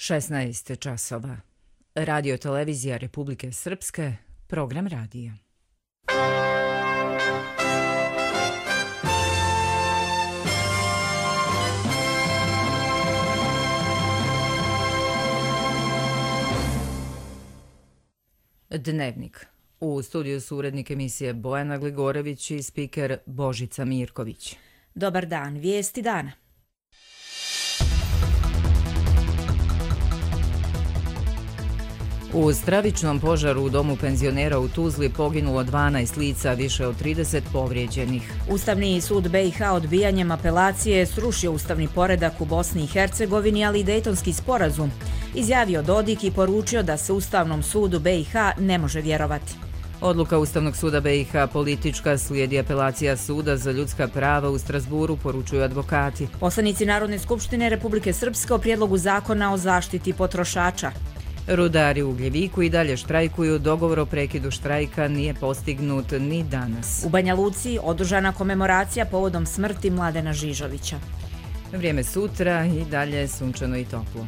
16 časova. Radio televizija Republike Srpske, program radija. Dnevnik. U studiju su urednik emisije Bojana Gligorević i spiker Božica Mirković. Dobar dan, vijesti dana. U stravičnom požaru u domu penzionera u Tuzli poginulo 12 lica, više od 30 povrijeđenih. Ustavni sud BiH odbijanjem apelacije srušio ustavni poredak u Bosni i Hercegovini, ali i Dejtonski sporazum, izjavio Dodik i poručio da se Ustavnom sudu BiH ne može vjerovati. Odluka Ustavnog suda BiH politička, slijedi apelacija Suda za ljudska prava u Strasburu, poručuju advokati. Poslanici Narodne skupštine Republike Srpske o prijedlogu zakona o zaštiti potrošača. Rudari u Ugljeviku i dalje štrajkuju, dogovor o prekidu štrajka nije postignut ni danas. U Banja Luci održana komemoracija povodom smrti Mladena Žižovića. Vrijeme sutra i dalje sunčano i toplo.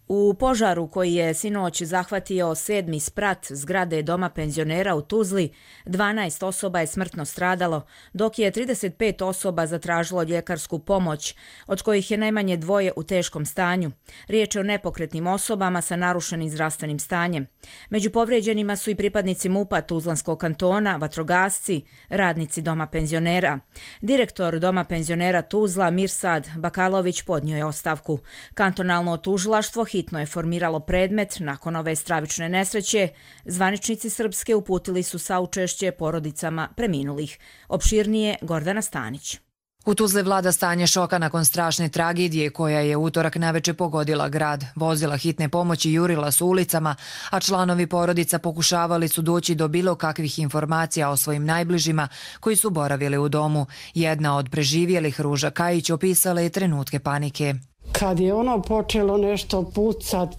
U požaru koji je sinoć zahvatio 7. sprat zgrade doma penzionera u Tuzli, 12 osoba je smrtno stradalo, dok je 35 osoba zatražilo ljekarsku pomoć, od kojih je najmanje 2 u teškom stanju. Riječ je o nepokretnim osobama sa narušenim zdravstvenim stanjem. Među povrijeđenima su i pripadnici MUP-a Tuzlanskog kantona, vatrogasci, radnici doma penzionera. Direktor doma penzionera Tuzla Mirsad Bakalović podnio je ostavku. Kantonalno tužilaštvo hitno je formiralo predmet nakon ove stravične nesreće. Zvaničnici Srpske uputili su saučešće porodicama preminulih. Opširnije Gordana Stanić. U Tuzli vlada stanje šoka nakon strašne tragedije koja je utorak naveče pogodila grad. Vozila hitne pomoći jurila su ulicama, a članovi porodica pokušavali su doći do bilo kakvih informacija o svojim najbližima koji su boravili u domu. Jedna od preživjelih, Ruža Kajić, opisala je trenutke panike. Kad je ono počelo nešto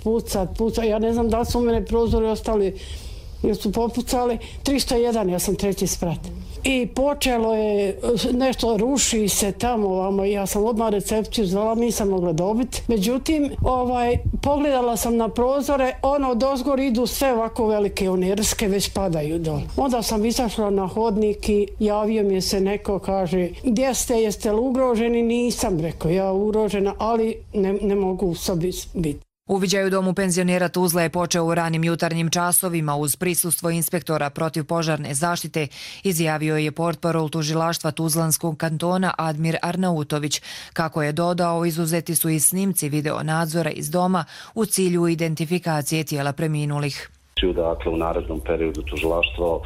pucat, ja ne znam da li su u mene prozori ostali, jer su popucali, 301, ja sam 3. sprat. I počelo je nešto, ruši se tamo ovamo, ja sam odmah recepciju zvala, nisam mogla dobiti. Međutim, pogledala sam na prozore, dozgor idu sve ovako velike rske, već padaju dole. Onda sam izašla na hodnik i javio mi se neko, kaže, gdje ste, jeste li ugroženi? Nisam, rekao, ja ugrožena, ali ne mogu u sobi biti. Uviđaj u domu penzionera Tuzla je počeo u ranim jutarnjim časovima uz prisustvo inspektora protivpožarne zaštite, izjavio je portparol tužilaštva Tuzlanskog kantona Admir Arnautović. Kako je dodao, izuzeti su i snimci video nadzora iz doma u cilju identifikacije tijela preminulih. Dakle, u narednom periodu tužilaštvo,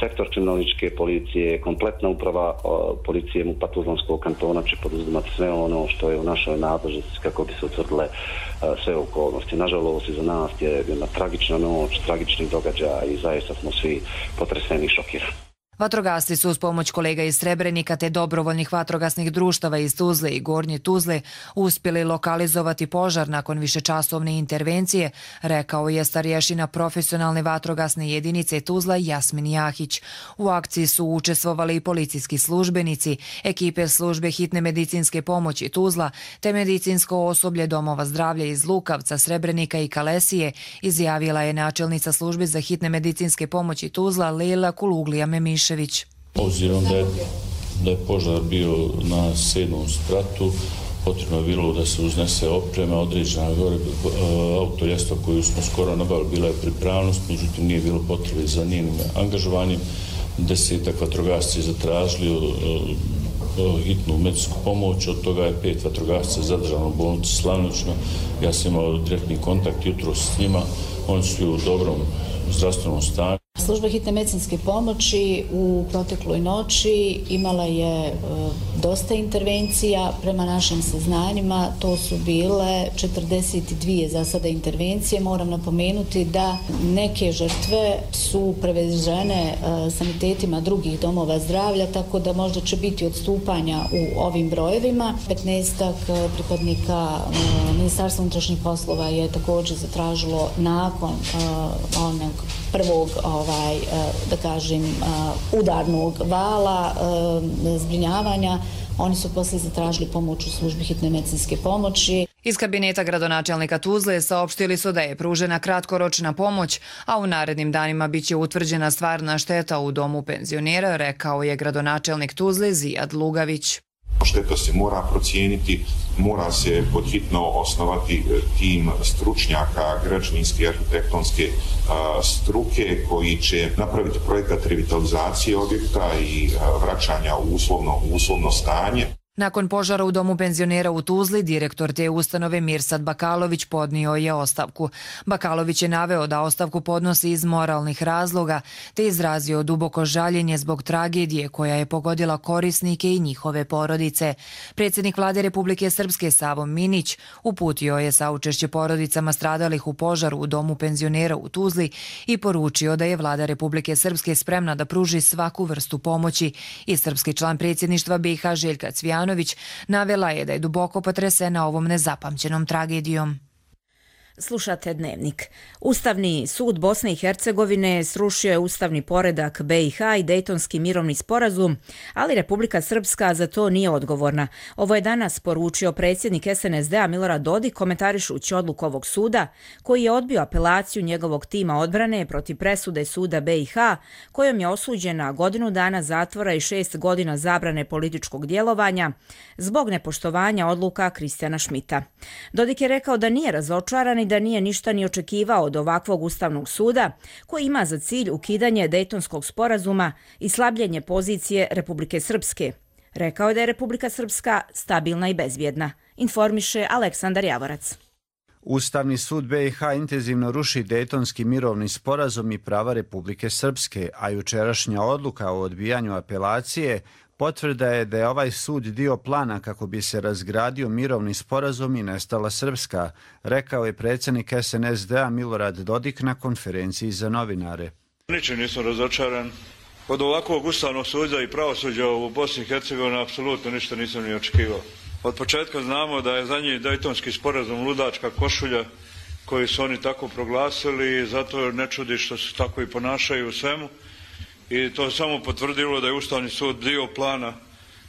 sektor kriminalističke policije, kompletna uprava policije MUP-a Tuzlanskog kantona će poduzimati sve ono što je u našoj nadležnosti kako bi se utvrdile sve okolnosti. Nažalost, iza nas je jedna tragična noć, tragični događaj i zaista smo svi potreseni i šokirani. Vatrogasci su uz pomoć kolega iz Srebrenika te dobrovoljnih vatrogasnih društava iz Tuzle i Gornje Tuzle uspjeli lokalizovati požar nakon višečasovne intervencije, rekao je starješina profesionalne vatrogasne jedinice Tuzla Jasmin Jahić. U akciji su učestvovali i policijski službenici, ekipe službe hitne medicinske pomoći Tuzla te medicinsko osoblje domova zdravlja iz Lukavca, Srebrenika i Kalesije, izjavila je načelnica službe za hitne medicinske pomoći Tuzla Lejla Kuluglija Memiš. Obzirom da je požar bio na 7. spratu, potrebno je bilo da se uznese oprema, određena autoljesta koju smo skoro nabavili, bila je pripravnost, međutim nije bilo potrebe za njenim angažovanjem. 10 vatrogasci zatražili hitnu medicinsku pomoć, od toga je 5 vatrogasca zadržano u bolnici Slavnično. Ja sam imao direktni kontakt jutros s njima, oni su u dobrom zdravstvenom stanju. Služba hitne medicinske pomoći u protekloj noći imala je dosta intervencija. Prema našim saznanjima to su bile 42 za sada intervencije. Moram napomenuti da neke žrtve su prevežene sanitetima drugih domova zdravlja, tako da možda će biti odstupanja u ovim brojevima. 15 pripadnika Ministarstva unutrašnjih poslova je također zatražilo nakon onog prvog da kažem udarnog vala zbrinjavanja Oni su poslije zatražili pomoć u službi hitne medicinske pomoći. Iz kabineta gradonačelnika Tuzle saopštili su da je pružena kratkoročna pomoć, a u narednim danima biće utvrđena stvarna šteta u domu penzionera, rekao je gradonačelnik Tuzle Zijad Lugavić. Šteta se mora procijeniti, mora se podhitno osnovati tim stručnjaka građevinske i arhitektonske struke koji će napraviti projekat revitalizacije objekta i vraćanja u uslovno stanje. Nakon požara u domu penzionera u Tuzli, direktor te ustanove Mirsad Bakalović podnio je ostavku. Bakalović je naveo da ostavku podnosi iz moralnih razloga, te izrazio duboko žaljenje zbog tragedije koja je pogodila korisnike i njihove porodice. Predsjednik Vlade Republike Srpske Savo Minić uputio je saučešće porodicama stradalih u požaru u domu penzionera u Tuzli i poručio da je Vlada Republike Srpske spremna da pruži svaku vrstu pomoći. I srpski član predsjedništva BiH Željka Cvijanović navela je da je duboko potresena ovom nezapamćenom tragedijom. Slušate Dnevnik. Ustavni sud Bosne i Hercegovine srušio je ustavni poredak BiH i Dejtonski mirovni sporazum, ali Republika Srpska za to nije odgovorna. Ovo je danas poručio predsjednik SNSD-a Milorad Dodik komentarišući odluku ovog suda, koji je odbio apelaciju njegovog tima odbrane protiv presude suda BiH, kojom je osuđena godinu dana zatvora i 6 godina zabrane političkog djelovanja zbog nepoštovanja odluka Kristijana Šmita. Dodik je rekao da nije razočaran i da nije ništa ni očekivao od ovakvog ustavnog suda koji ima za cilj ukidanje Dejtonskog sporazuma i slabljenje pozicije Republike Srpske. Rekao je da je Republika Srpska stabilna i bezbjedna, informiše Aleksandar Javorac. Ustavni sud BiH intenzivno ruši Dejtonski mirovni sporazum i prava Republike Srpske, a jučerašnja odluka o odbijanju apelacije potvrda je da je ovaj sud dio plana kako bi se razgradio mirovni sporazum i nestala Srpska, rekao je predsjednik SNSD-a Milorad Dodik na konferenciji za novinare. Ničim nisam razočaran. Od ovakvog ustavnog suda i pravosuđa u Bosni i Hercegovini apsolutno ništa nisam ni očekivao. Od početka znamo da je zadnji Dejtonski sporazum ludačka košulja koju su oni tako proglasili i zato ne čudi što se tako i ponašaju u svemu. I to je samo potvrdilo da je Ustavni sud dio plana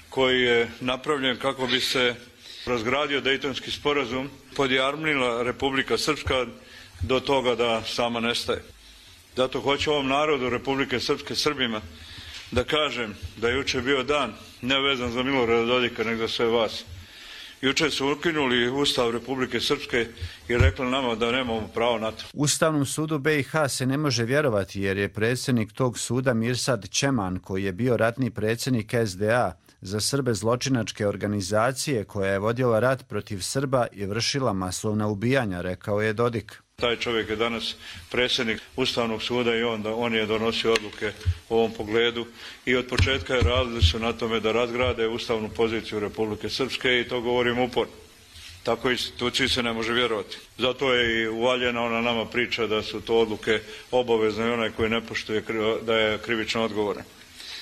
koji je napravljen kako bi se razgradio Dejtonski sporazum, podjarmila Republika Srpska do toga da sama nestaje. Zato hoću ovom narodu Republike Srpske, Srbima, da kažem da je jučer bio dan ne vezan za Milorada Dodika, nego za sve vas. Jučer su ukinuli Ustav Republike Srpske i rekli nama da nemamo pravo na to. Ustavnom sudu BiH se ne može vjerovati jer je predsjednik tog suda Mirsad Čeman, koji je bio ratni predsjednik SDA za Srbe zločinačke organizacije koja je vodila rat protiv Srba i vršila masovna ubijanja, rekao je Dodik. Taj čovjek je danas predsjednik Ustavnog suda i on je donosio odluke u ovom pogledu i od početka je radili su na tome da razgrade ustavnu poziciju Republike Srpske i to govorim uporno. Tako instituciji se ne može vjerovati. Zato je i uvaljena ona nama priča da su to odluke obavezne i onaj koji ne poštuje da je krivično odgovoran.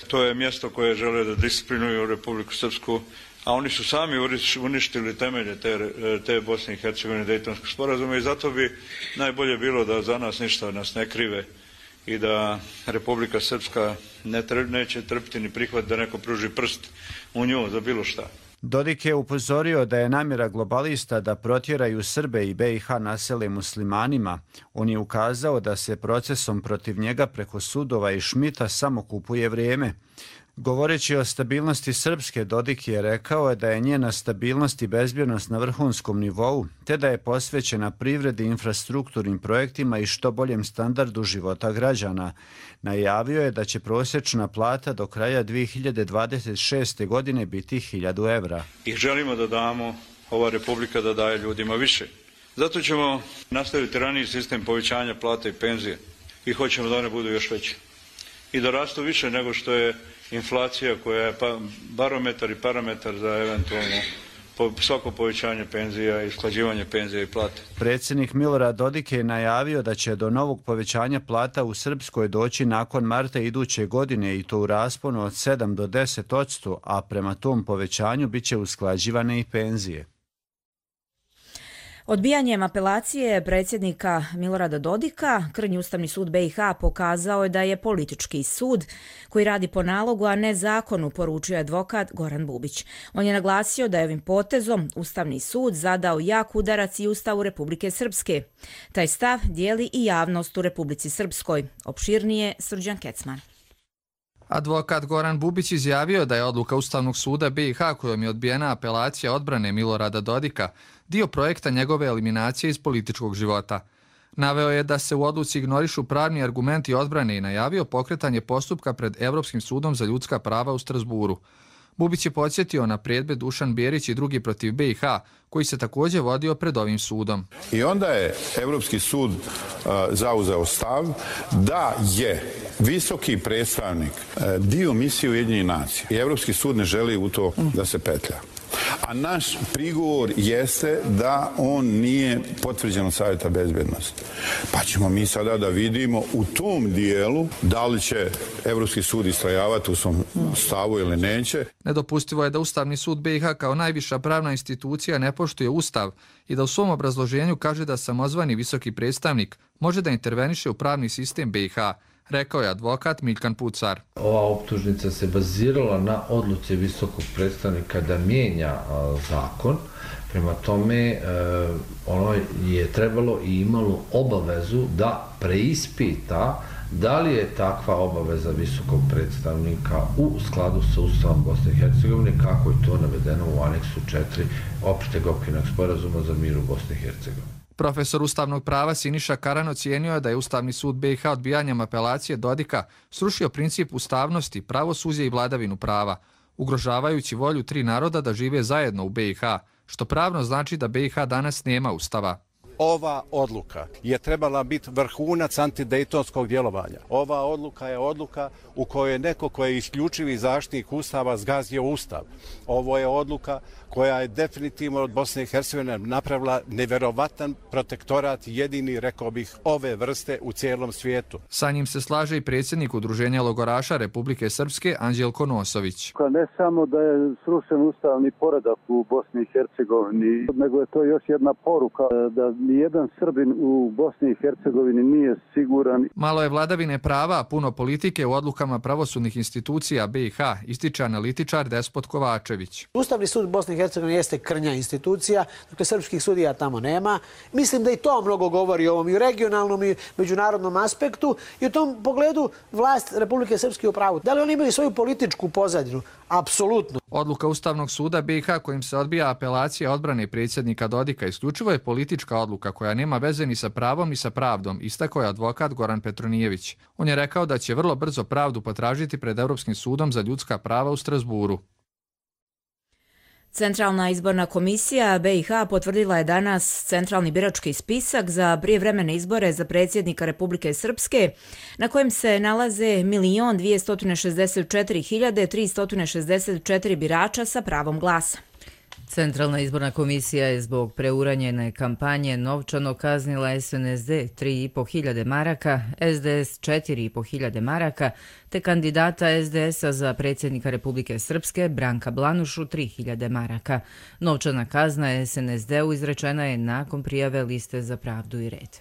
To je mjesto koje žele da disciplinuju Republiku Srpsku, a oni su sami uništili temelje te Bosne i Hercegovine Dejtonskog sporazuma i zato bi najbolje bilo da za nas ništa nas ne krive i da Republika Srpska neće trpiti ni prihvat da neko pruži prst u nju za bilo šta. Dodik je upozorio da je namjera globalista da protjeraju Srbe i BiH nasele muslimanima. On je ukazao da se procesom protiv njega preko sudova i Šmita samo kupuje vrijeme. Govoreći o stabilnosti Srpske, Dodik je rekao da je njena stabilnost i bezbjednost na vrhunskom nivou, te da je posvećena privredi, infrastrukturnim projektima i što boljem standardu života građana. Najavio je da će prosječna plata do kraja 2026. godine biti 1000 evra. I želimo da damo, ova Republika da daje ljudima više. Zato ćemo nastaviti raniji sistem povećanja plata i penzije i hoćemo da one budu još veće. I da rastu više nego što je inflacija koja je barometar i parametar za eventualno svako povećanje penzija i usklađivanje penzija i plate. Predsjednik Milorad Dodik je najavio da će do novog povećanja plata u Srpskoj doći nakon marta iduće godine i to u rasponu od 7 do 10%, a prema tom povećanju bit će usklađivane i penzije. Odbijanjem apelacije predsjednika Milorada Dodika, Krnji Ustavni sud BiH pokazao je da je politički sud koji radi po nalogu, a ne zakonu, poručio advokat Goran Bubić. On je naglasio da je ovim potezom Ustavni sud zadao jak udarac i Ustavu Republike Srpske. Taj stav dijeli i javnost u Republici Srpskoj. Opširnije Srđan Kecman. Advokat Goran Bubić izjavio da je odluka Ustavnog suda BiH kojom je odbijena apelacija odbrane Milorada Dodika dio projekta njegove eliminacije iz političkog života. Naveo je da se u odluci ignorišu pravni argumenti odbrane i najavio pokretanje postupka pred Evropskim sudom za ljudska prava u Strasburu. Bubić je podsjetio na predmet Dušan Bjerić i drugi protiv BiH, koji se također vodio pred ovim sudom. I onda je Evropski sud zauzeo stav da je visoki predstavnik dio misije Ujedinjenih nacija i Evropski sud ne želi u to da se petlja. A naš prigovor jeste da on nije potvrđen od Savjeta bezbednosti. Pa ćemo mi sada da vidimo u tom dijelu da li će Evropski sud istrajavati u svom stavu ili neće. Nedopustivo je da Ustavni sud BiH kao najviša pravna institucija ne poštuje Ustav i da u svom obrazloženju kaže da samozvani visoki predstavnik može da interveniše u pravni sistem BiH, rekao je advokat Miljkan Pucar. Ova optužnica se bazirala na odluci visokog predstavnika da mijenja zakon. Prema tome, ono je trebalo i imalo obavezu da preispita da li je takva obaveza visokog predstavnika u skladu sa Ustavom Bosne i Hercegovine, kako je to navedeno u aneksu 4 opšteg okvirnog sporazuma za mir u Bosni i Hercegovini. Profesor ustavnog prava Siniša Karan ocijenio je da je Ustavni sud BiH odbijanjem apelacije Dodika srušio princip ustavnosti, pravosuđa i vladavinu prava, ugrožavajući volju 3 naroda da žive zajedno u BiH, što pravno znači da BiH danas nema ustava. Ova odluka je trebala biti vrhunac antidejtonskog djelovanja. Ova odluka je odluka u kojoj je neko ko je isključivi zaštitnik Ustava zgazio Ustav. Ovo je odluka koja je definitivno od Bosne i Hercegovine napravila neverovatan protektorat, jedini, rekao bih, ove vrste u cijelom svijetu. Sa njim se slaže i predsjednik Udruženja logoraša Republike Srpske Anđelko Nosović. Ne samo da je srušen ustavni poredak u Bosni i Hercegovini, nego je to još jedna poruka da nijedan Srbin u Bosni i Hercegovini nije siguran. Malo je vladavine prava, a puno politike u odlukama pravosudnih institucija BiH, ističe analitičar Despot Kovačević. Ustavni sud Bosne i Hercegovine jeste krnja institucija, dakle srpskih sudija tamo nema. Mislim da i to mnogo govori o ovom i regionalnom i međunarodnom aspektu i u tom pogledu vlast Republike Srpske u pravu. Da li oni imaju svoju političku pozadinu? Apsolutno. Odluka Ustavnog suda BiH kojim se odbija apelacija odbrane predsjednika Dodika isključivo je politička odluka koja nema veze ni sa pravom ni sa pravdom, istakao je advokat Goran Petronijević. On je rekao da će vrlo brzo pravdu potražiti pred Evropskim sudom za ljudska prava u Strasburu. Centralna izborna komisija BiH potvrdila je danas centralni birački spisak za prijevremene izbore za predsjednika Republike Srpske, na kojem se nalaze 1.264.364 birača sa pravom glasa. Centralna izborna komisija je zbog preuranjene kampanje novčano kaznila SNSD 3.500 maraka, SDS 4.500 maraka, te kandidata SDS-a za predsjednika Republike Srpske Branka Blanušu 3.000 maraka. Novčana kazna SNSD-u izrečena je nakon prijave Liste za pravdu i red.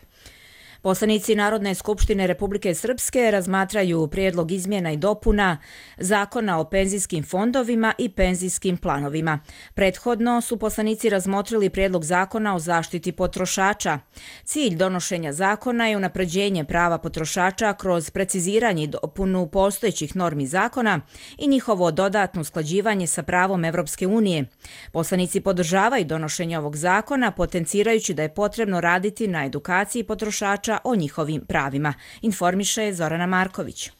Poslanici Narodne skupštine Republike Srpske razmatraju prijedlog izmjena i dopuna Zakona o penzijskim fondovima i penzijskim planovima. Prethodno su poslanici razmotrili prijedlog Zakona o zaštiti potrošača. Cilj donošenja zakona je unapređenje prava potrošača kroz preciziranje i dopunu postojećih normi zakona i njihovo dodatno usklađivanje sa pravom Evropske unije. Poslanici podržavaju donošenje ovog zakona, potencirajući da je potrebno raditi na edukaciji potrošača o njihovim pravima, informiše Zorana Marković.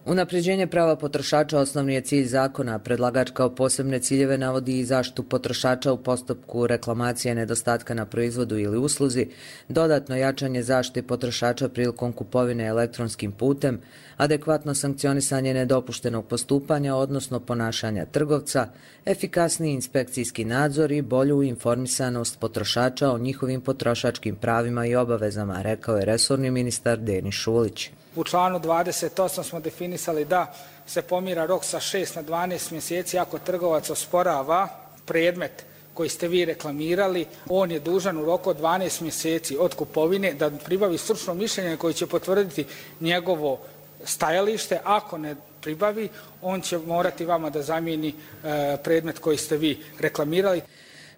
Unapređenje prava potrošača osnovni je cilj zakona. Predlagač kao posebne ciljeve navodi i zaštitu potrošača u postupku reklamacije nedostatka na proizvodu ili usluzi, dodatno jačanje zaštite potrošača prilikom kupovine elektronskim putem, adekvatno sankcionisanje nedopuštenog postupanja, odnosno ponašanja trgovca, efikasniji inspekcijski nadzor i bolju informisanost potrošača o njihovim potrošačkim pravima i obavezama, rekao je resorni ministar Denis Šulić. U članu 28 smo definisali da se pomjera rok sa 6 na 12 mjeseci ako trgovac osporava predmet koji ste vi reklamirali, on je dužan u roku od 12 mjeseci od kupovine da pribavi stručno mišljenje koje će potvrditi njegovo stajalište. Ako ne pribavi, on će morati vama da zamijeni predmet koji ste vi reklamirali.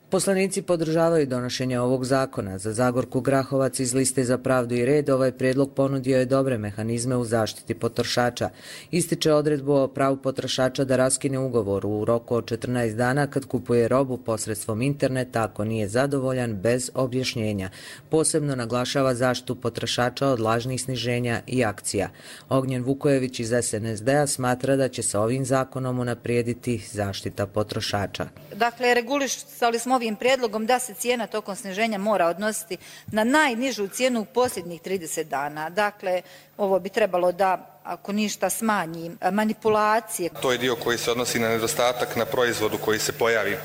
Poslanici podržavaju donošenje ovog zakona. Za Zagorku Grahovac iz Liste za pravdu i red ovaj prijedlog ponudio je dobre mehanizme u zaštiti potrošača. Ističe odredbu o pravu potrošača da raskine ugovor u roku od 14 dana kad kupuje robu posredstvom interneta ako nije zadovoljan bez objašnjenja. Posebno naglašava zaštitu potrošača od lažnih sniženja i akcija. Ognjen Vukojević iz SNSD-a smatra da će se ovim zakonom unaprijediti zaštita potrošača. Dakle, regulisali smo ovim prijedlogom da se cijena tokom sniženja mora odnositi na najnižu cijenu u posljednjih 30 dana. Dakle, ovo bi trebalo da, ako ništa, smanji manipulacije. To je dio koji se odnosi na nedostatak na proizvodu koji se pojavi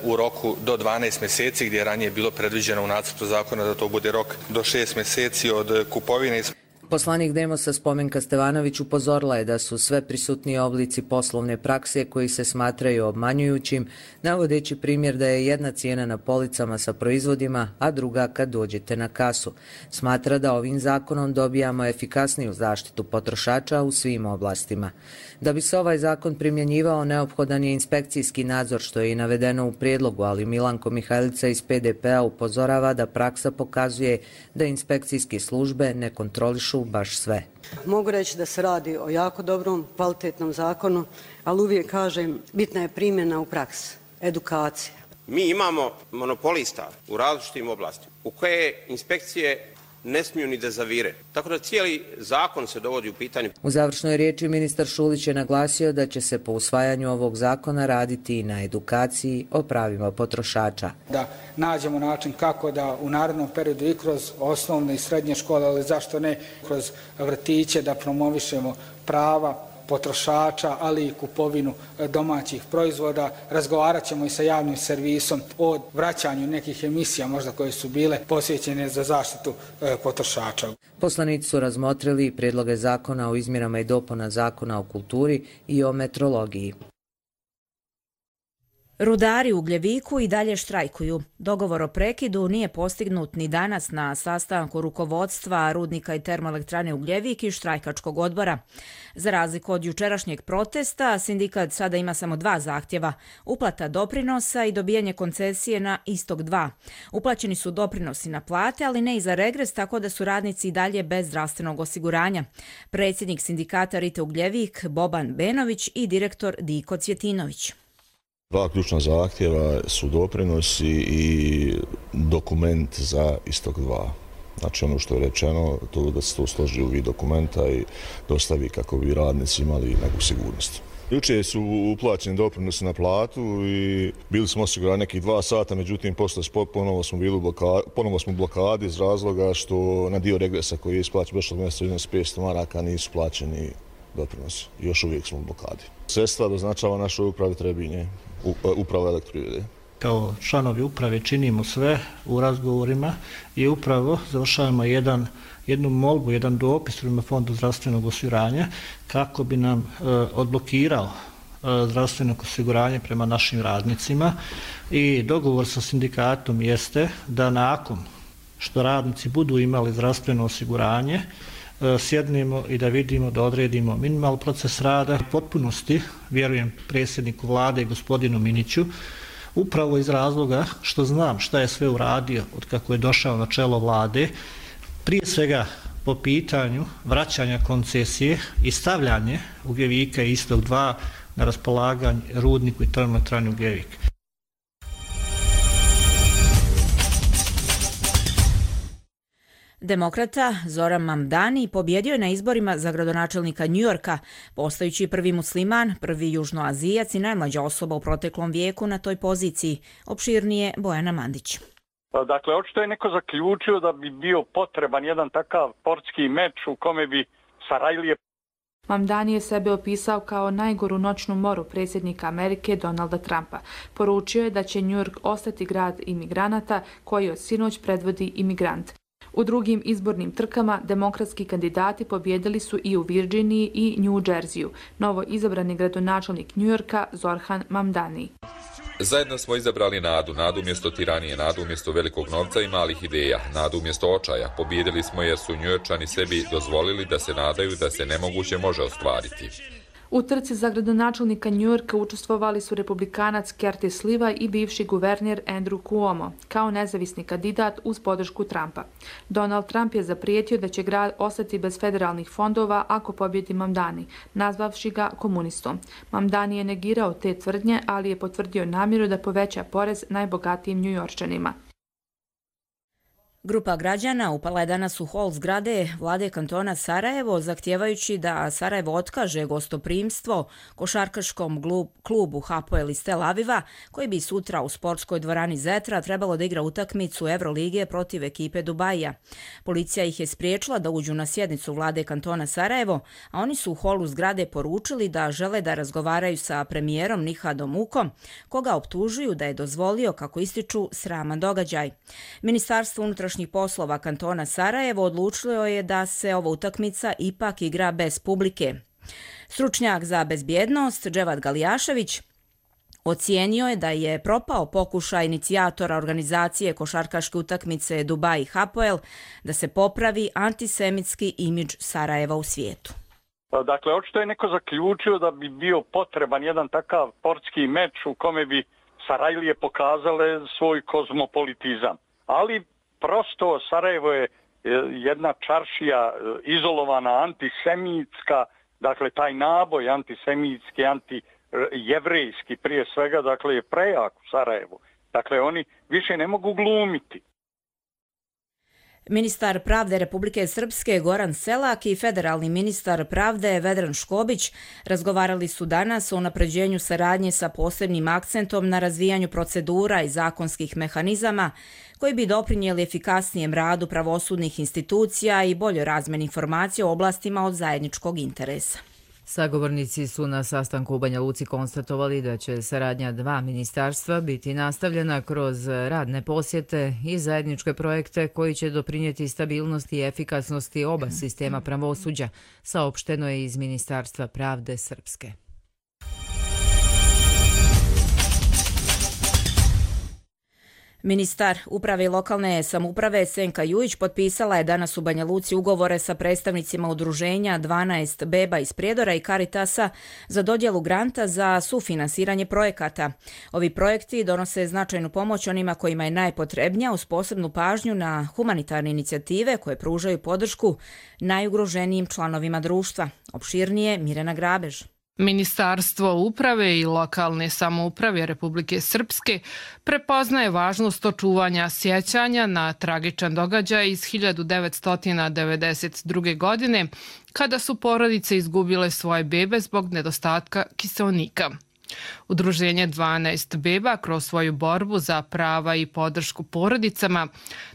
u roku do 12 mjeseci, gdje je ranije bilo predviđeno u nacrtu zakona da to bude rok do 6 mjeseci od kupovine. Poslanik Demosa Spomenka Stevanović upozorila je da su sve prisutniji oblici poslovne prakse koji se smatraju obmanjujućim, navodeći primjer da je jedna cijena na policama sa proizvodima, a druga kad dođete na kasu. Smatra da ovim zakonom dobijamo efikasniju zaštitu potrošača u svim oblastima. Da bi se ovaj zakon primjenjivao, neophodan je inspekcijski nadzor, što je i navedeno u prijedlogu, ali Milanko Mihajlica iz PDP-a upozorava da praksa pokazuje da inspekcijske službe ne kontrolišu baš sve. Mogu reći da se radi o jako dobrom, kvalitetnom zakonu, ali uvijek kažem, bitna je primjena u praksi, edukacija. Mi imamo monopolista u različitim oblastima u koje inspekcije ne smiju ni da zavire. Tako da cijeli zakon se dovodi u pitanje. U završnoj riječi ministar Šulić je naglasio da će se po usvajanju ovog zakona raditi i na edukaciji o pravima potrošača. Da nađemo način kako da u narednom periodu i kroz osnovne i srednje škole, ali zašto ne kroz vrtiće, da promovišemo prava potrošača, ali i kupovinu domaćih proizvoda. Razgovarat ćemo i sa javnim servisom o vraćanju nekih emisija možda koje su bile posvećene za zaštitu potrošača. Poslanici su razmotrili prijedloge zakona o izmjenama i dopuna zakona o kulturi i o metrologiji. Rudari u Ugljeviku i dalje štrajkuju. Dogovor o prekidu nije postignut ni danas na sastanku rukovodstva rudnika i termoelektrane Ugljevik i štrajkačkog odbora. Za razliku od jučerašnjeg protesta, sindikat sada ima samo 2 zahtjeva: uplata doprinosa i dobijanje koncesije na istog 2. Uplaćeni su doprinosi na plate, ali ne i za regres, tako da su radnici i dalje bez zdravstvenog osiguranja. Predsjednik sindikata Rite Ugljevik Boban Benović i direktor Diko Cvjetinović. 2 ključna zahtjeva su doprinosi i dokument za istog 2. Znači ono što je rečeno, to da se to složi u vid dokumenta i dostavi kako bi radnici imali neku sigurnost. Jučer su uplaćeni doprinosi na platu i bili smo osigurani nekih 2 sata, međutim posle ponovo smo u blokadi iz razloga što na dio regresa koji je isplaćen prošlog mjeseca iznos 500 maraka nisu plaćeni doprinosi. Još uvijek smo u blokadi. Sredstva doznačava našoj upravi Trebinje, uprava Elektroprivrede. Kao članovi uprave činimo sve u razgovorima i upravo završavamo jednu molbu, jedan dopis prema Fondu zdravstvenog osiguranja kako bi nam odblokirao zdravstveno osiguranje prema našim radnicima i dogovor sa sindikatom jeste da nakon što radnici budu imali zdravstveno osiguranje sjednemo i da vidimo, da odredimo minimalni proces rada. U potpunosti vjerujem predsjedniku vlade i gospodinu Miniću, upravo iz razloga što znam šta je sve uradio od kako je došao na čelo vlade, prije svega po pitanju vraćanja koncesije i stavljanje Ugljevika i istog 2 na raspolaganje rudniku i termoelektrani Ugljevik. Demokrata Zoran Mamdani pobjedio je na izborima za gradonačelnika Njujorka, postajući prvi musliman, prvi južnoazijac i najmlađa osoba u proteklom vijeku na toj poziciji. Opširnije Bojana Mandić. Dakle, očito je neko zaključio da bi bio potreban jedan takav sportski meč u kome bi Sarajlije. Mamdani je sebe opisao kao najgoru noćnu moru predsjednika Amerike Donalda Trumpa. Poručio je da će New York ostati grad imigranata koji od sinoć predvodi imigrant. U drugim izbornim trkama demokratski kandidati pobjedili su i u Virginiji i New Jerseyu. Novo izabrani gradonačelnik New Yorka Zoran Mamdani. Zajedno smo izabrali nadu, nadu umjesto tiranije, nadu umjesto velikog novca i malih ideja, nadu umjesto očaja. Pobijedili smo jer su Njujorčani sebi dozvolili da se nadaju da se nemoguće može ostvariti. U trci za gradonačelnika Njujorka učestvovali su republikanac Curtis Sliwa i bivši guverner Andrew Cuomo, kao nezavisni kandidat uz podršku Trumpa. Donald Trump je zaprijetio da će grad ostati bez federalnih fondova ako pobjedi Mamdani, nazvavši ga komunistom. Mamdani je negirao te tvrdnje, ali je potvrdio namjeru da poveća porez najbogatijim Njujorčanima. Grupa građana upala je danas u hol zgrade vlade kantona Sarajevo, zahtijevajući da Sarajevo otkaže gostoprimstvo košarkaškom klubu Hapoel iz Tel Aviva, koji bi sutra u sportskoj dvorani Zetra trebalo da igra utakmicu Evrolige protiv ekipe Dubaija. Policija ih je spriječila da uđu na sjednicu vlade kantona Sarajevo, a oni su u holu zgrade poručili da žele da razgovaraju sa premijerom Nihadom Ukom, koga optužuju da je dozvolio, kako ističu, sraman događaj. Ministarstvo unutrašnjih poslova kantona Sarajevo odlučilo je da se ova utakmica ipak igra bez publike. Stručnjak za bezbjednost Dževad Galijašević ocijenio je da je propao pokušaj inicijatora organizacije košarkaške utakmice Dubai Hapoel da se popravi antisemitski imidž Sarajeva u svijetu. Dakle, očito je neko zaključio da bi bio potreban jedan takav sportski meč u kome bi Sarajlije pokazale svoj kozmopolitizam. Ali prosto Sarajevo je jedna čaršija izolovana, antisemitska, dakle taj naboj antisemitski, antijevrejski prije svega, dakle je prejak u Sarajevu. Dakle, oni više ne mogu glumiti. Ministar pravde Republike Srpske Goran Selak i federalni ministar pravde Vedran Škobić razgovarali su danas o unapređenju saradnje sa posebnim akcentom na razvijanju procedura i zakonskih mehanizama koji bi doprinijeli efikasnijem radu pravosudnih institucija i boljoj razmjeni informacija o oblastima od zajedničkog interesa. Sagovornici su na sastanku u Banja Luci konstatovali da će saradnja dva ministarstva biti nastavljena kroz radne posjete i zajedničke projekte koji će doprinijeti stabilnosti i efikasnosti oba sistema pravosuđa, saopšteno je iz Ministarstva pravde Srpske. Ministar uprave i lokalne samouprave Senka Jujić potpisala je danas u Banja Luci ugovore sa predstavnicima udruženja 12 beba iz Prijedora i Caritasa za dodjelu granta za sufinansiranje projekata. Ovi projekti donose značajnu pomoć onima kojima je najpotrebnija, uz posebnu pažnju na humanitarne inicijative koje pružaju podršku najugroženijim članovima društva. Opširnije Mirjana Grabež. Ministarstvo uprave i lokalne samouprave Republike Srpske prepoznaje važnost očuvanja sjećanja na tragičan događaj iz 1992. godine kada su porodice izgubile svoje bebe zbog nedostatka kiseonika. Udruženje 12 beba kroz svoju borbu za prava i podršku porodicama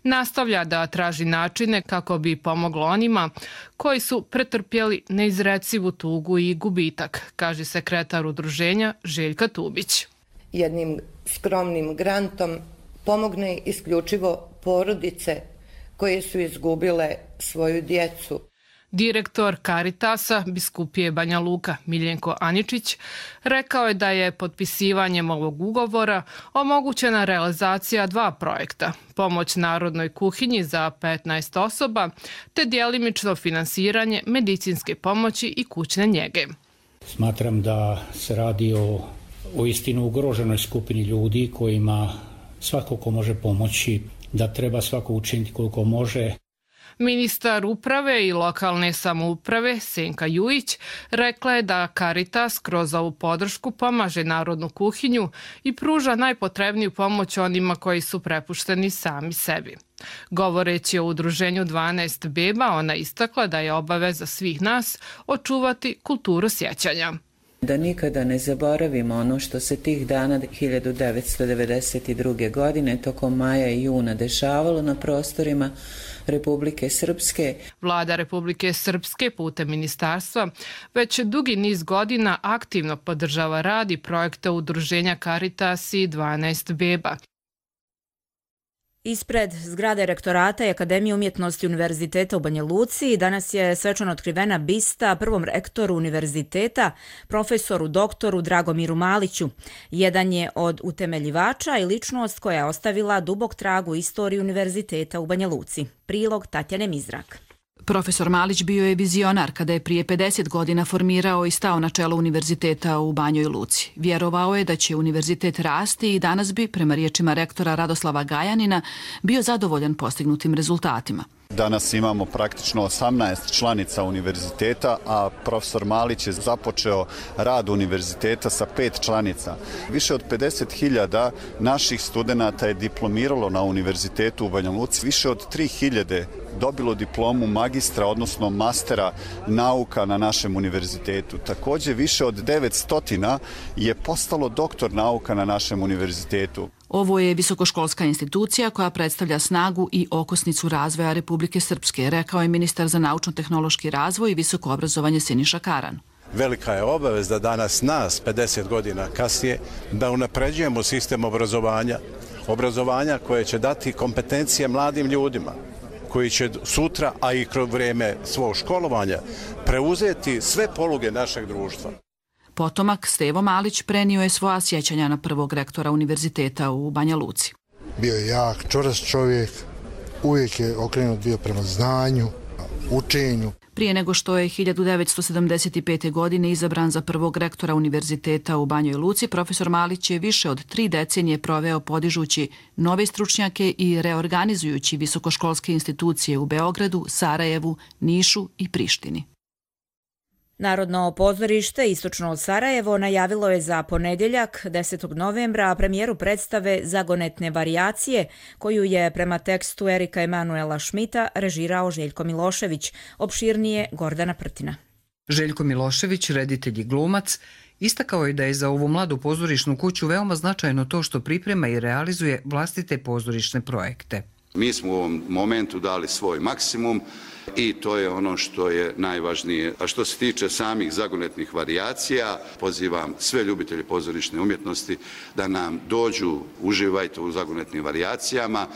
nastavlja da traži načine kako bi pomoglo onima koji su pretrpjeli neizrecivu tugu i gubitak, kaže sekretar udruženja Željka Tubić. Jednim skromnim grantom pomogne isključivo porodice koje su izgubile svoju djecu. Direktor Caritasa biskupije Banja Luka Miljenko Aničić rekao je da je potpisivanjem ovog ugovora omogućena realizacija dva projekta, pomoć narodnoj kuhinji za 15 osoba te djelimično finansiranje medicinske pomoći i kućne njege. Smatram da se radi o istinu ugroženoj skupini ljudi kojima svako ko može pomoći, da treba svako učiniti koliko može. Ministar uprave i lokalne samouprave Senka Jujić rekla je da Caritas kroz ovu podršku pomaže narodnu kuhinju i pruža najpotrebniju pomoć onima koji su prepušteni sami sebi. Govoreći o udruženju 12 beba, ona istakla da je obaveza svih nas očuvati kulturu sjećanja. Da nikada ne zaboravimo ono što se tih dana 1992. godine tokom maja i juna dešavalo na prostorima Republike Srpske. Vlada Republike Srpske putem ministarstva već dugi niz godina aktivno podržava rad i projekte udruženja Caritas i 12 beba. Ispred zgrade rektorata i Akademije umjetnosti Univerziteta u Banja Luci danas je svečano otkrivena bista prvom rektoru univerziteta, profesoru doktoru Dragomiru Maliću. Jedan je od utemeljivača i ličnost koja je ostavila dubok trag u istoriji univerziteta u Banja Luci. Prilog Tatjane Mizrak. Profesor Malić bio je vizionar kada je prije 50 godina formirao i stao na čelo univerziteta u Banjoj Luci. Vjerovao je da će univerzitet rasti i danas bi, prema riječima rektora Radoslava Gajanina, bio zadovoljan postignutim rezultatima. Danas imamo praktično 18 članica univerziteta, a profesor Malić je započeo rad univerziteta sa 5 članica. Više od 50.000 naših studenata je diplomiralo na univerzitetu u Banja Luci. Više od 3.000 dobilo diplomu magistra, odnosno mastera nauka na našem univerzitetu. Također više od 900 je postalo doktor nauka na našem univerzitetu. Ovo je visokoškolska institucija koja predstavlja snagu i okosnicu razvoja Republike Srpske, rekao je ministar za naučno-tehnološki razvoj i visoko obrazovanje Siniša Karan. Velika je obaveza danas nas, 50 godina kasnije, da unapređujemo sistem obrazovanja koje će dati kompetencije mladim ljudima, koji će sutra, a i kroz vrijeme svog školovanja, preuzeti sve poluge našeg društva. Potomak Stevo Malić prenio je svoja sjećanja na prvog rektora univerziteta u Banja Luci. Bio je jak, čvrst čovjek, uvijek je okrenut bio prema znanju, učenju. Prije nego što je 1975. godine izabran za prvog rektora univerziteta u Banjoj Luci, profesor Malić je više od 3 decenije proveo podižući nove stručnjake i reorganizujući visokoškolske institucije u Beogradu, Sarajevu, Nišu i Prištini. Narodno pozorište Istočno od Sarajevo najavilo je za ponedjeljak 10. novembra premijeru predstave Zagonetne varijacije, koju je prema tekstu Erika Emanuela Šmita režirao Željko Milošević, opširnije Gordana Prtina. Željko Milošević, reditelj i glumac, istakao je da je za ovu mladu pozorišnu kuću veoma značajno to što priprema i realizuje vlastite pozorišne projekte. Mi smo u ovom momentu dali svoj maksimum i to je ono što je najvažnije. A što se tiče samih zagonetnih varijacija, pozivam sve ljubitelje pozorišne umjetnosti da nam dođu, uživajte u zagonetnim varijacijama.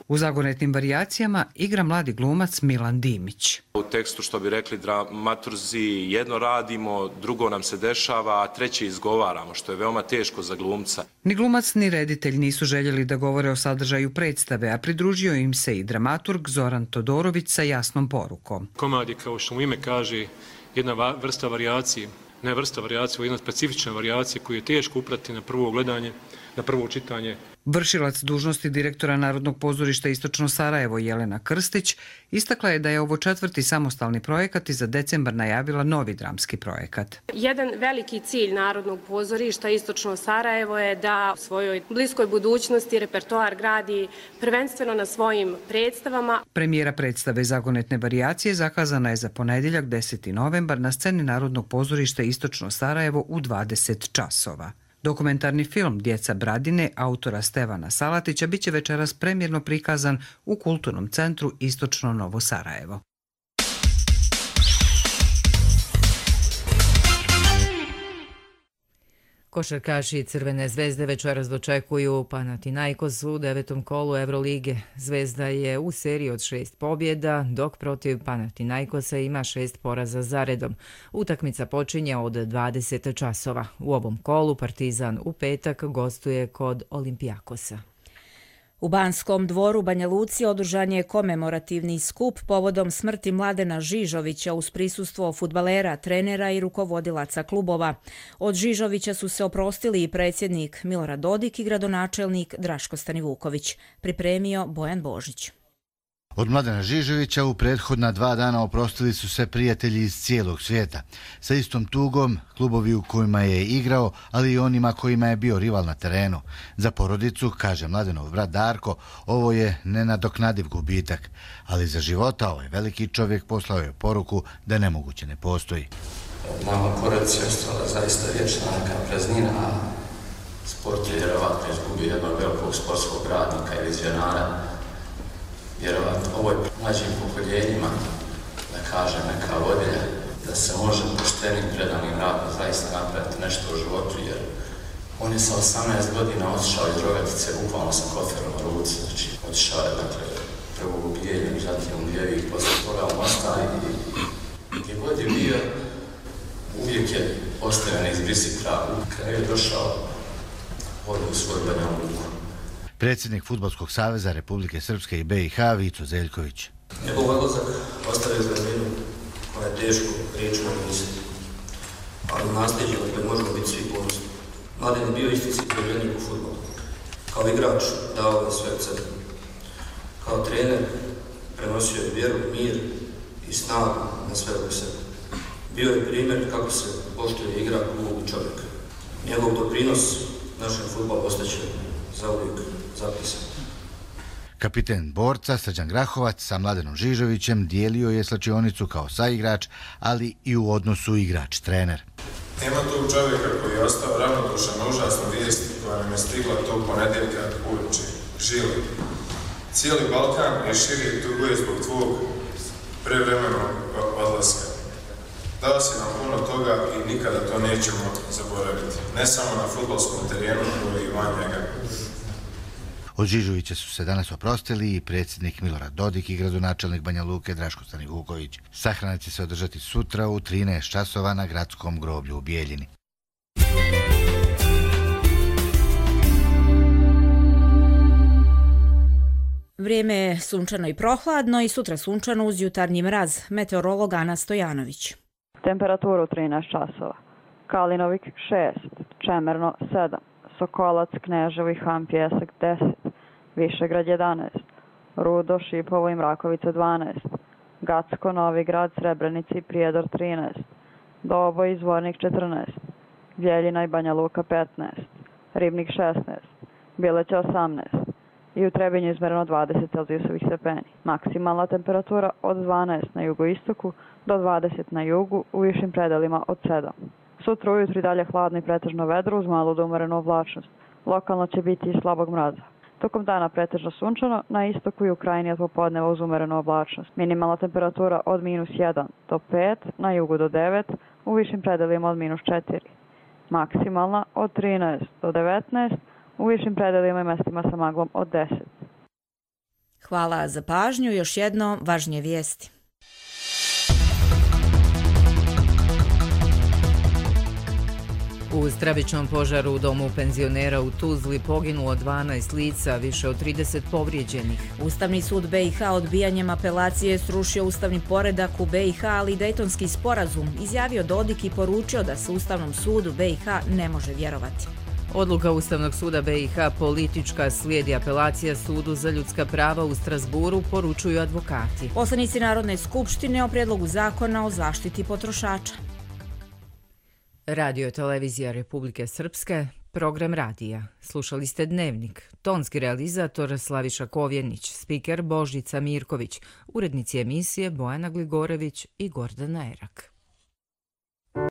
U zagonetnim varijacijama igra mladi glumac Milan Dimić. U tekstu, što bi rekli dramaturzi, jedno radimo, drugo nam se dešava, a treće izgovaramo, što je veoma teško za glumca. Ni glumac ni reditelj nisu željeli da govore o sadržaju predstave, a pridružio im se i dramaturg Zoran Todorović sa jasnom porukom. Komad je, kao što mu ime kaže, jedna vrsta varijacije, ne vrsta varijacije, jedna specifična varijacija koju je teško uprati na prvo gledanje, na prvo čitanje. Vršilac dužnosti direktora Narodnog pozorišta Istočno Sarajevo Jelena Krstić istakla je da je ovo 4. samostalni projekat i za decembar najavila novi dramski projekat. Jedan veliki cilj Narodnog pozorišta Istočno Sarajevo je da u svojoj bliskoj budućnosti repertoar gradi prvenstveno na svojim predstavama. Premijera predstave Zagonetne varijacije zakazana je za ponedjeljak 10. novembar na sceni Narodnog pozorišta Istočno Sarajevo u 20 časova. Dokumentarni film Djeca Bradine autora Stevana Salatića biće večeras premijerno prikazan u Kulturnom centru Istočno Novo Sarajevo. Košarkaši Crvene zvezde večeras dočekuju Panathinaikos u 9. kolu Evrolige. Zvezda je u seriji od 6 pobjeda, dok protiv Panathinaikosa ima 6 poraza zaredom. Utakmica počinje od 20 časova. U ovom kolu Partizan u petak gostuje kod Olimpijakosa. U Banskom dvoru Banja Luci održan je komemorativni skup povodom smrti Mladena Žižovića uz prisustvo fudbalera, trenera i rukovodilaca klubova. Od Žižovića su se oprostili i predsjednik Milorad Dodik i gradonačelnik Draško Stanivuković. Pripremio Bojan Božić. Od Mladena Žižovića u prethodna 2 dana oprostili su se prijatelji iz cijelog svijeta. Sa istom tugom, klubovi u kojima je igrao, ali i onima kojima je bio rival na terenu. Za porodicu, kaže Mladenov brat Darko, ovo je nenadoknadiv gubitak. Ali za života ovaj veliki čovjek poslao je poruku da nemoguće ne postoji. Nama porodici je ostala zaista vječna neka praznina, a sport je vjerovatno izgubio jednog velikog sportskog radnika i vizionara. Vjerovatno ovoj mlađim pokoljenjima, da kažem, neka vodilja, da se može poštenim predanim radom zaista napraviti nešto u životu, jer On je sa 18 godina otišao iz Rogatice, bukvalno sa koferom na ruci, znači otišao je, dakle, prvo u Bijeljinu, zatim u Ljevik, poslije toga u Mostar i gdje god je bio, uvijek je ostavljen izbrisi trag. U kraju je došao u svoju Banja Luku. Predsjednik Fudbalskog saveza Republike Srpske i BiH Vico Zeljković. Njegov odlazak ostavio zraninu koja je teško riječi napisati, ali nasljeđe na koje možemo biti svi ponosni. Mladen je bio istinski zaljubljenik u fudbalu. Kao igrač dao je sve od sebe. Kao trener prenosio je vjeru, mir i snagu na sve oko sebe. Bio je primjer kako se poštuje igra klub i čovjeka. Njegov doprinos našem fudbalu ostaće zauvijek zapisan. Kapiten Borca Srđan Grahovac sa Mladenom Žižovićem dijelio je slačionicu kao saigrač, ali i u odnosu igrač-trener. Nema tog čovjeka koji je ostao ravnodušan na užasnu vijest koja nam je stigla tog ponedjeljka uveče. Žili. Cijeli Balkan je širi tuguje zbog tvog prevremenog odlaska. Dao si nam puno toga i nikada to nećemo zaboraviti. Ne samo na fudbalskom terenu, nego i van njega. Od Žižovića su se danas oprostili i predsjednik Milorad Dodik i gradonačelnik Banja Luke Draško Stanivuković. Sahrana će se održati sutra u 13 časova na gradskom groblju u Bijeljini. Vrijeme je sunčano i prohladno i sutra sunčano uz jutarnji mraz. Meteorolog Ana Stojanović. Temperaturu 13 časova. Kalinovik 6, Čemerno 7, Sokolac, Kneževo i Han Pjesak 10, Višegrad 11, Rudo, Šipovo i Mrakovica 12, Gacko, Novi Grad, Srebrenica i Prijedor 13, Doboj i Zvornik 14, Bjeljina i Banja Luka 15, Ribnik 16, Bileća 18 i u Trebinju izmereno 20 celzijusovih stepeni. Maksimalna temperatura od 12 na jugoistoku do 20 na jugu, u višim predelima od 7. Sutra ujutru i dalje hladno i pretežno vedro uz malu do umerenu oblačnost. Lokalno će biti i slabog mraza. Tokom dana pretežno sunčano, na istoku i u krajini od popodneva uz umerenu oblačnost. Minimalna temperatura od -1 do 5, na jugu do 9, u višim predelima od -4. Maksimalna od 13 do 19, u višim predelima i mestima sa maglom od 10. Hvala za pažnju. Još jedno važnije vijesti. U stravičnom požaru u domu penzionera u Tuzli poginulo 12 lica, više od 30 povrijeđenih. Ustavni sud BiH odbijanjem apelacije srušio ustavni poredak u BiH, ali i Dejtonski sporazum, izjavio Dodik i poručio da se Ustavnom sudu BiH ne može vjerovati. Odluka Ustavnog suda BiH politička, slijedi apelacija Sudu za ljudska prava u Strasburu, poručuju advokati. Poslanici Narodne skupštine o prijedlogu zakona o zaštiti potrošača. Radio televizija Republike Srpske, program radija. Slušali ste Dnevnik. Tonski realizator Slaviša Kovjenić, spiker Božica Mirković, urednici emisije Bojana Gligorević i Gordana Erak.